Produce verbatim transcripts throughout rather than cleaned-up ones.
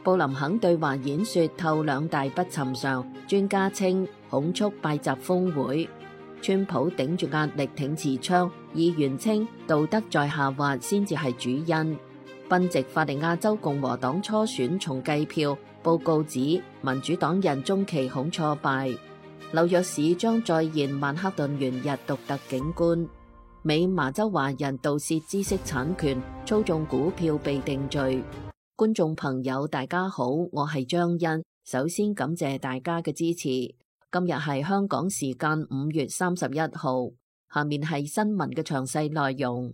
布林肯對華演說透兩大不尋常，專家稱恐促拜習峰會。川普頂住壓力挺持槍，議員稱道德在下滑先至係主因。賓夕法尼亞州共和黨初選重計票，報告指民主黨人中期恐挫敗。紐約市將再現曼克頓元日獨特景觀。美麻州華人盜竊知識產權、操縱股票被定罪。觀眾朋友大家好，我係張欣，首先感謝大家嘅支持。今日係香港時間五月三十一號，下面係新聞嘅詳細內容。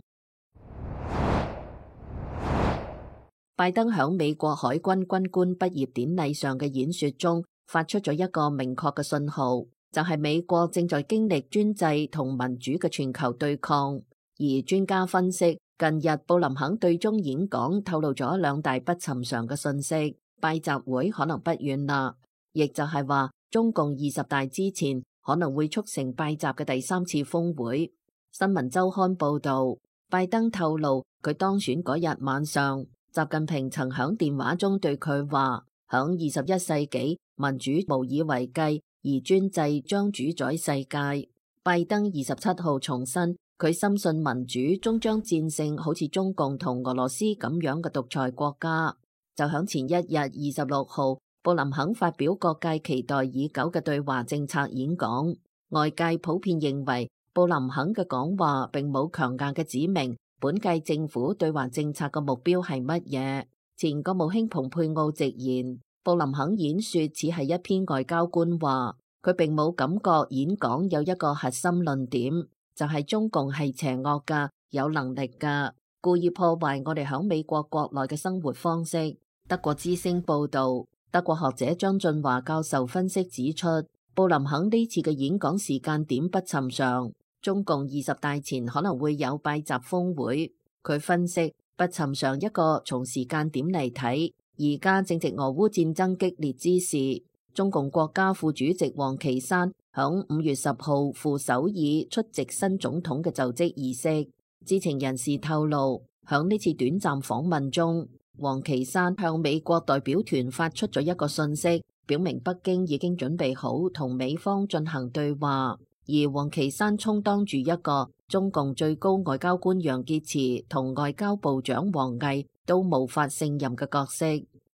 拜登響美國海軍軍官畢業典禮上嘅演說中，發出咗一個明確嘅信號，就係美國正在經歷專制同民主嘅全球對抗。而專家分析，近日布林肯對中演講透露咗兩大不尋常嘅信息，拜習會可能不遠啦，亦就係話中共二十大之前可能會促成拜習嘅第三次峰會。新聞週刊報道，拜登透露佢當選嗰日晚上，習近平曾響電話中對佢話，響二十一世紀民主無以為繼，而專制將主宰世界。拜登二十七號重申，佢深信民主終將戰勝好似中共同俄羅斯咁樣嘅獨裁國家。就響前一日二十六號，布林肯發表各界期待已久嘅對華政策演講，外界普遍認為布林肯嘅講話並冇強硬嘅指明本屆政府對華政策嘅目標係乜嘢。前國務卿蓬佩奧直言，布林肯演說只係一篇外交官話，佢並冇感覺演講有一個核心論點，就係中共係邪惡㗎，有能力㗎，故意破壞我哋響美國國內嘅生活方式。德國之聲報道，德國學者張俊華教授分析指出，布林肯呢次嘅演講時間點不尋常，中共二十大前可能會有拜習峰會。佢分析，不尋常一個從時間點嚟睇，而家正值俄烏戰爭激烈之時，中共國家副主席王岐山響五月十號赴首爾出席新總統嘅就職儀式。知情人士透露，響呢次短暫訪問中，王岐山向美國代表團發出咗一個信息，表明北京已經準備好同美方進行對話。而王岐山充當住一個中共最高外交官楊潔篪同外交部長王毅都無法勝任嘅角色。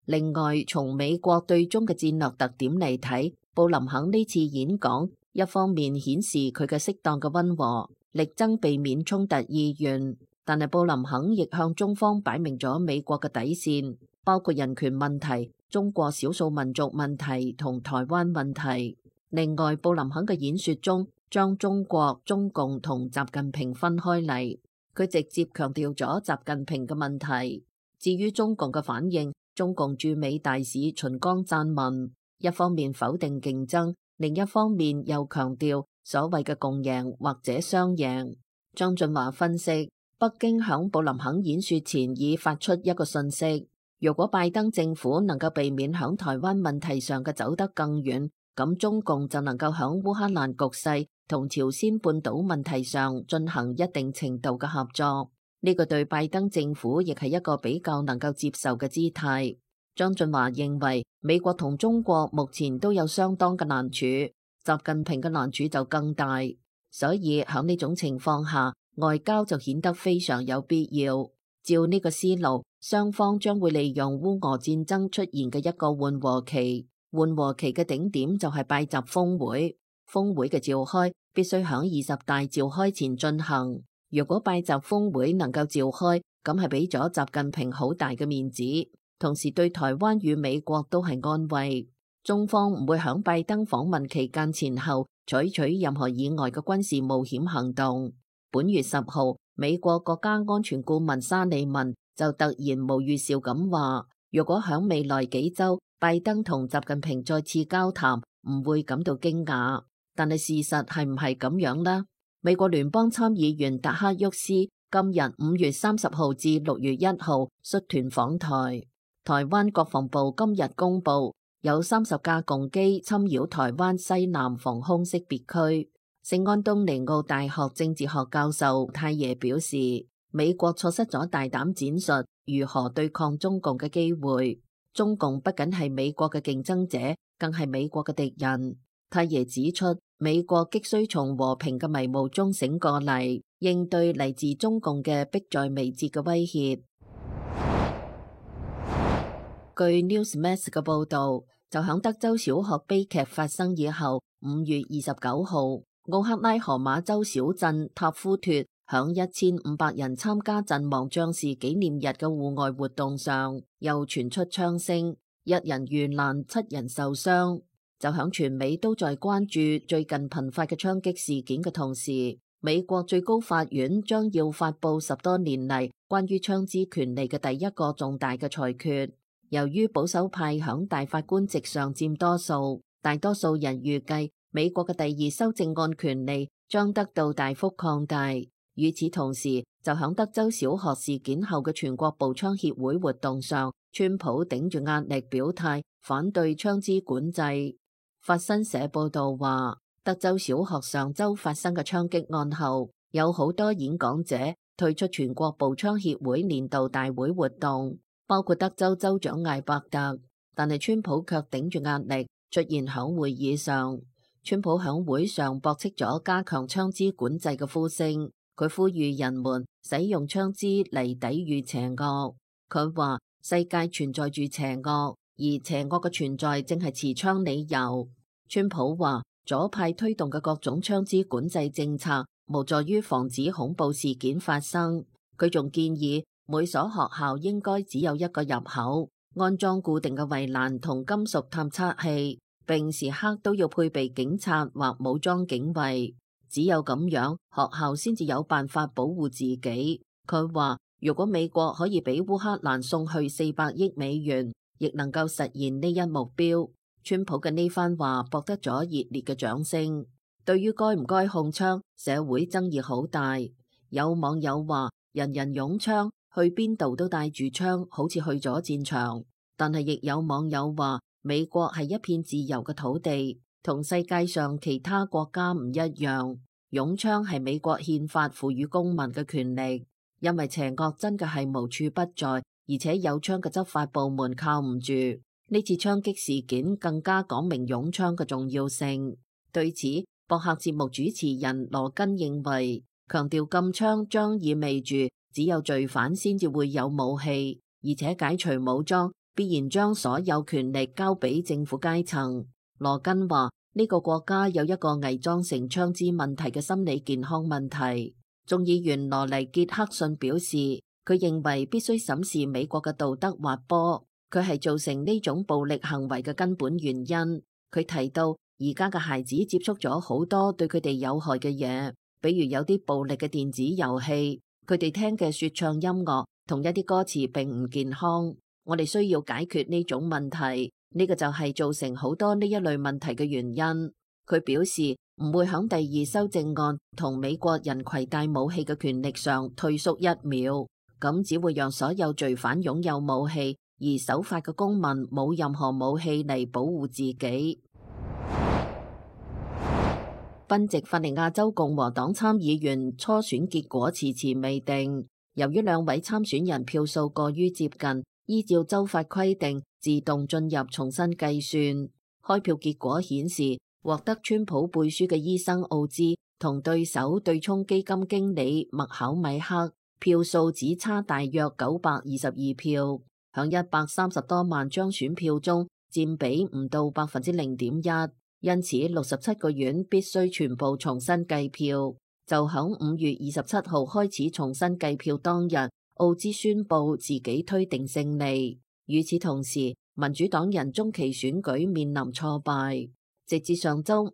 另外，從美國對中嘅戰略特點嚟睇，布林肯呢次演講一方面顯示佢嘅適當嘅溫和，力爭避免衝突意願，但係布林肯亦向中方擺明咗美國嘅底線，包括人權問題、中國少數民族問題同台灣問題。另外，布林肯嘅演說中將中國、中共同習近平分開嚟，佢直接強調咗習近平嘅問題。至於中共嘅反應，中共駐美大使秦剛撰文，一方面否定競爭，另一方面又強調所謂嘅共贏或者雙贏。張俊華分析，北京響布林肯演說前已發出一個訊息，如果拜登政府能夠避免響台灣問題上嘅走得更遠，咁中共就能夠響烏克蘭局勢同朝鮮半島問題上進行一定程度嘅合作。呢個對拜登政府亦係一個比較能夠接受嘅姿態。張俊華認為，美國同中國目前都有相當嘅難處，習近平嘅難處就更大，所以響呢種情況下，外交就顯得非常有必要。照呢個思路，雙方將會利用烏俄戰爭出現嘅一個緩和期。緩和期嘅頂點就係拜習峰會，峰會嘅召開必須響二十大召開前進行。如果拜習峰會能夠召開，咁係俾咗習近平好大嘅面子，同時對台灣與美國都係安慰。中方唔會響拜登訪問期間前後採取任何意外嘅軍事冒險行動。本月十號，美國國家安全顧問沙利文就突然無預兆咁話，如果響未來幾週拜登同習近平再次交談，唔會感到驚訝。但係事實係唔係咁樣呢？美國聯邦參議員達克沃斯今日五月三十號至六月一號率團訪台。台灣國防部今日公布，有三十架共機侵擾台灣西南防空識別區。聖安東尼奧大學政治學教授泰耶表示，美國錯失咗大膽展述如何對抗中共嘅機會。中共不僅係美國嘅競爭者，更係美國嘅敵人。太爺指出，美國急需從和平嘅迷霧中醒過嚟，應對嚟自中共嘅迫在眉睫嘅威脅。據 Newsmax 嘅報導，就響德州小學悲劇發生以後，五月二十九號，奧克拉荷馬州小鎮塔夫托響一千五百人參加陣亡將士紀念日嘅戶外活動上，又傳出槍聲，一人遇難，七人受傷。就響全美都在關注最近頻發嘅槍擊事件嘅同時，美國最高法院將要發佈十多年嚟關於槍支權利嘅第一個重大嘅裁決。由於保守派響大法官席上佔多數，大多數人預計美國嘅第二修正案權利將得到大幅擴大。與此同時，就響德州小學事件後嘅全國步槍協會活動上，川普頂住壓力表態反對槍支管制。法新社報道話，德州小學上周發生嘅槍擊案後，有好多演講者退出全國步槍協會年度大會活動，包括德州州長艾伯特。但係川普卻頂住壓力出現響會議上。川普響會上駁斥咗加強槍支管制嘅呼聲，佢呼籲人們使用槍支嚟抵禦邪惡。佢話世界存在住邪惡，而邪惡嘅存在正係持槍理由。川普話左派推動嘅各種槍支管制政策無助於防止恐怖事件發生。佢仲建議每所學校應該只有一個入口，安裝固定嘅圍欄同金屬探測器，並時刻都要配備警察或武裝警衛。只有咁樣，學校先至有辦法保護自己。佢話如果美國可以俾烏克蘭送去四百億美元，亦能夠實現呢一目標。川普嘅呢番話博得咗熱烈嘅掌聲。對於該唔該控槍，社會爭議好大。有網友話人人擁槍，去邊度都帶住槍，好似去咗戰場。但係亦有網友話美國係一片自由嘅土地，同世界上其他國家唔一樣。擁槍係美國憲法賦予公民嘅權利，因為邪惡真嘅係無處不在，而且有槍嘅執法部門靠唔住。呢次槍擊事件更加講明擁槍嘅重要性。對此，博客節目主持人羅根認為，強調禁槍將意味住只有罪犯先至會有武器，而且解除武裝必然將所有權力交俾政府階層。羅根話呢個國家有一個偽裝成槍支問題嘅心理健康問題。眾議員羅尼傑克遜表示，佢認為必須審視美國嘅道德滑坡，佢係造成呢種暴力行為嘅根本原因。佢提到而家嘅孩子接觸咗好多對佢哋有害嘅嘢，比如有啲暴力嘅電子遊戲，佢哋聽嘅說唱音樂同一啲歌詞並唔健康。我哋需要解決呢種問題，呢個就係造成好多呢一類問題嘅原因。佢表示唔會響第二修正案同美國人攜帶武器嘅權力上退縮一秒，咁只會讓所有罪犯擁有武器，而守法嘅公民冇任何武器嚟保護自己。賓夕法尼亞州共和黨參議員初選結果遲遲未定，由於兩位參選人票數過於接近，依照州法規定自動進入重新計算。開票結果顯示，獲得川普背書嘅醫生奧茲同對手對沖基金經理麥考米克票數只差大約九百二十二票，響一百三十多萬張選票中佔比唔到百分之零點一。因此，六十七個縣必須全部重新計票。就響五月二十七號開始重新計票當日，奧茲宣布自己推定勝利。與此同時，民主黨人中期選舉面臨挫敗。直至上周五，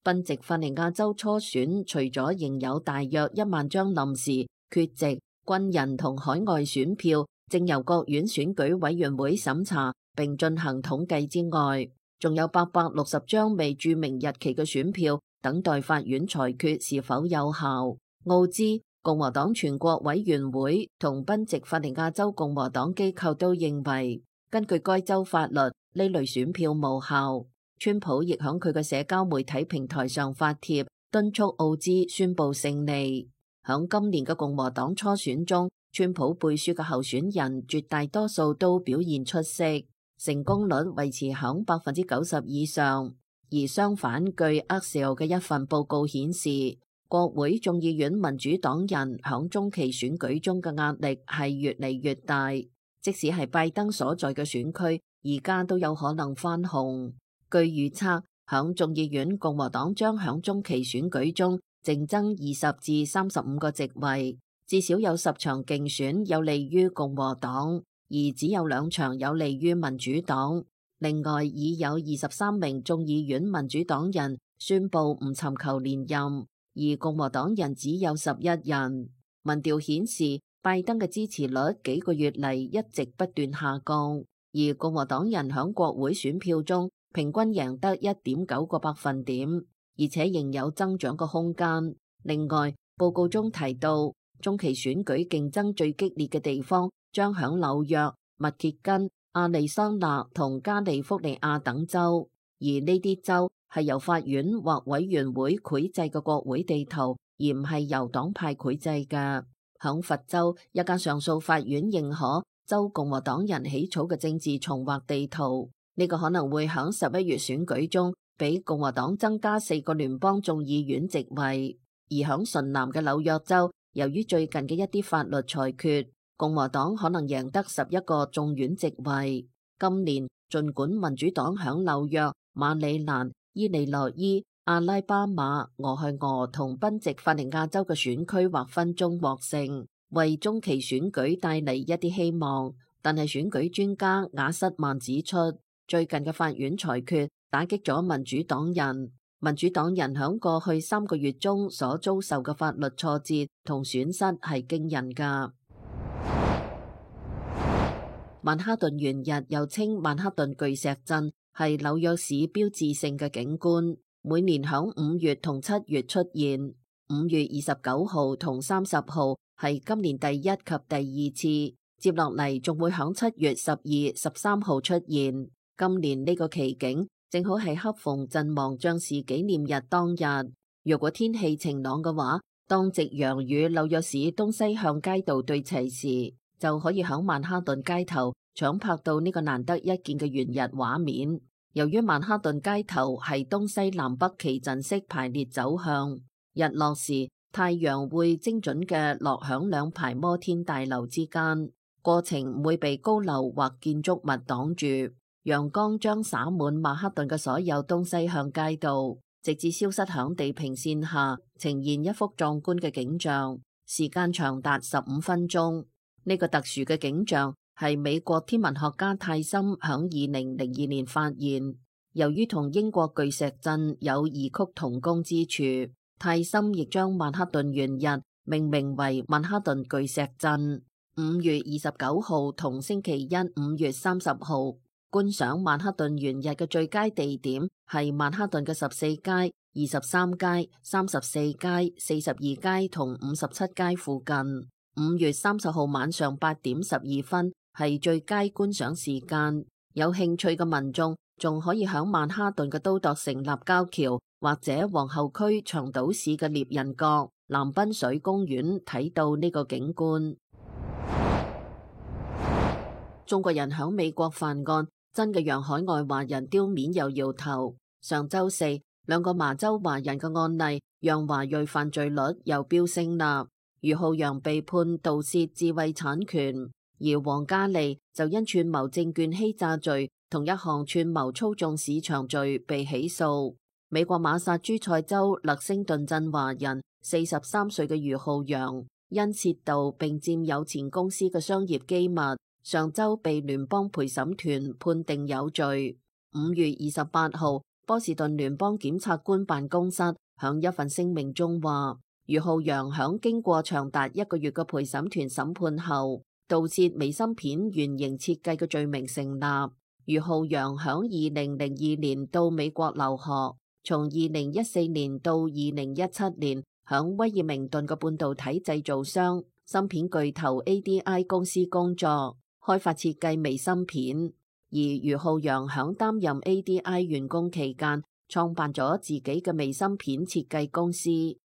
賓夕法尼亞州初選除咗仍有大約一萬張臨時、缺席、軍人同海外選票，正由各縣選舉委員會審查並進行統計之外，仲有八百六十張未注明日期嘅選票等待法院裁決是否有效。奧茲、共和黨全國委員會同賓夕法尼亞州共和黨機構都認為，根據該州法律，呢類選票無效。川普亦響佢嘅社交媒體平台上發帖，敦促奧茲宣布勝利。響今年嘅共和黨初選中，川普背書嘅候選人絕大多數都表現出色。成功率維持響百分之九十以上。而相反，據 Axios 嘅一份報告顯示，國會眾議院民主黨人響中期選舉中嘅壓力係越嚟越大，即使係拜登所在嘅選區，而家都有可能翻紅。據預測，響眾議院共和黨將響中期選舉中淨爭二十至三十五個席位，至少有十場競選有利於共和黨，而只有兩場有利於民主黨。另外，已有二十三名眾議院民主黨人宣布唔尋求連任，而共和黨人只有十一人。民調顯示，拜登嘅支持率幾個月嚟一直不斷下降，而共和黨人響國會選票中平均贏得一點九個百分點，而且仍有增長嘅空間。另外，報告中提到，中期選舉競爭最激烈嘅地方將響紐約、密歇根、亞利桑那同加利福尼亞等州，而呢啲州係由法院或委員會繪製嘅國會地圖，而唔係由黨派繪製嘅。響佛州，一間上訴法院認可州共和黨人起草嘅政治重劃地圖，呢、這個可能會響十一月選舉中俾共和黨增加四個聯邦眾議院席位。而響順南嘅紐約州，由於最近嘅一啲法律裁決，共和黨可能贏得十一個眾院席位。今年儘管民主黨響紐約、馬里蘭、伊利諾伊、阿拉巴馬、俄亥俄同賓夕法尼亞州嘅選區劃分中獲勝，為中期選舉帶嚟一啲希望，但係選舉專家瓦瑟曼指出，最近嘅法院裁決打擊咗民主黨人。民主黨人響過去三個月中所遭受嘅法律挫折同損失係驚人㗎。曼哈頓圓日又稱曼哈頓巨石陣，係紐約市標誌性嘅景觀，每年響五月同七月出現。五月二十九號同三十號係今年第一及第二次，接落嚟仲會響七月十二、十三號出現。今年呢個奇景正好係恰逢陣亡將士紀念日當日。若果天氣晴朗嘅話，當夕陽與紐約市東西向街道對齊時，就可以響曼哈頓街頭搶拍到呢個難得一見嘅圓日畫面。由於曼哈頓街頭係東西南北旗陣式排列走向，日落時太陽會精準嘅落響兩排摩天大樓之間，過程唔會被高樓或建築物擋住，陽光將灑滿曼哈頓嘅所有東西向街道，直至消失響地平線下，呈現一幅壯觀嘅景象，時間長達十五分鐘。呢個特殊嘅景象係美國天文學家泰森響二零零二年發現，由於同英國巨石陣有異曲同工之處，泰森亦將曼哈頓圓日命名為曼哈頓巨石陣。五月二十九號同星期一五月三十號，觀賞曼哈頓圓日嘅最佳地點係曼哈頓嘅十四街、二十三街、三十四街、四十二街同五十七街附近。五月三十號晚上八點十二分係最佳觀賞時間，有興趣嘅民眾仲可以響曼哈頓嘅都鐸城立交橋或者皇后區長島市嘅獵人角、藍濱水公園睇到呢個景觀。中國人響美國犯案，真嘅讓海外華人丟面又搖頭。上周四，兩個麻州華人嘅案例讓華裔犯罪率又飆升啦。余浩洋被判盜竊智慧產權，而黃嘉莉就因串謀證券欺詐罪同一項串謀操縱市場罪被起訴。美國馬薩諸塞州勒星頓鎮華人四十三歲嘅余浩洋，因竊盜並佔有前公司嘅商業機密，上周被聯邦陪審團判定有罪。五月二十八號，波士頓聯邦檢察官辦公室響一份聲明中話，余浩洋響經過長達一個月嘅陪審團審判後，盜竊微芯片原型設計嘅罪名成立。余浩洋響二零零二年到美國留學，從二零一四年到二零一七年響威爾明頓嘅半導體製造商芯片巨頭 A D I 公司工作，開發設計微芯片。而余浩洋響擔任 A D I 員工期間，創辦咗自己嘅微芯片設計公司，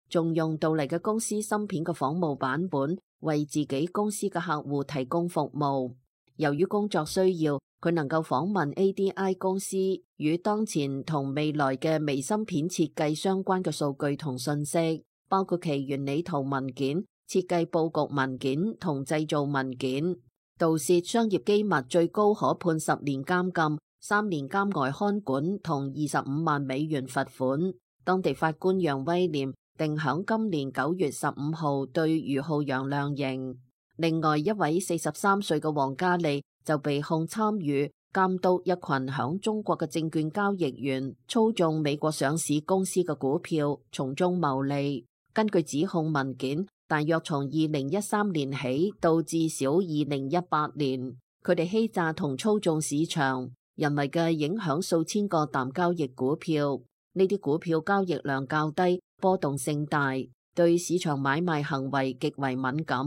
仲用到嚟嘅公司芯片嘅仿冒版本為自己公司嘅客戶提供服務。由於工作需要，佢能夠訪問 A D I 公司與當前同未來嘅微芯片設計相關嘅數據同信息，包括其原理圖文件、設計佈局文件同製造文件。盜竊商業機密最高可判十年監禁、三年監外看管同二十五萬美元罰款。當地法官楊威廉定響今年九月十五號對余浩陽量刑。另外一位四十三歲嘅王嘉利就被控參與監督一群響中國嘅證券交易員操縱美國上市公司嘅股票，從中牟利。根據指控文件，大約從二零一三年起到至少二零一八年，佢哋欺詐同操縱市場，人為嘅影響數千個淡交易股票。呢啲股票交易量較低，波動性大，對市場買賣行為極為敏感。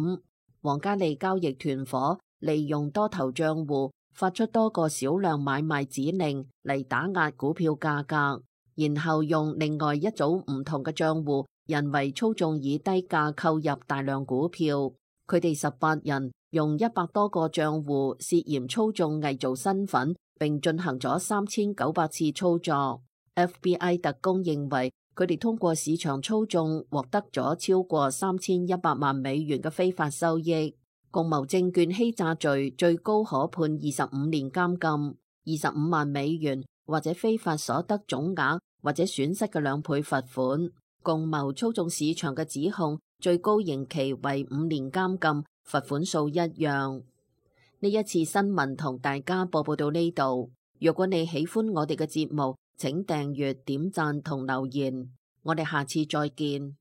王嘉利交易團伙利用多頭賬戶發出多個少量買賣指令嚟打壓股票價格，然後用另外一組唔同嘅賬戶人為操縱以低價購入大量股票。佢哋十八人用一百多個賬戶涉嫌操縱偽造身份，並進行咗三千九百次操作。F B I 特工認為佢哋通過市場操縱獲得咗超過三千一百萬美元嘅非法收益。共謀證券欺詐罪最高可判二十五年監禁、二十五萬美元或者非法所得總額或者損失嘅兩倍罰款。共謀操縱市場嘅指控最高刑期為五年監禁，罰款數一樣。呢一次新聞同大家播報到呢度。如果你喜歡我哋嘅節目，請訂閱、點讚同留言。我哋下次再見。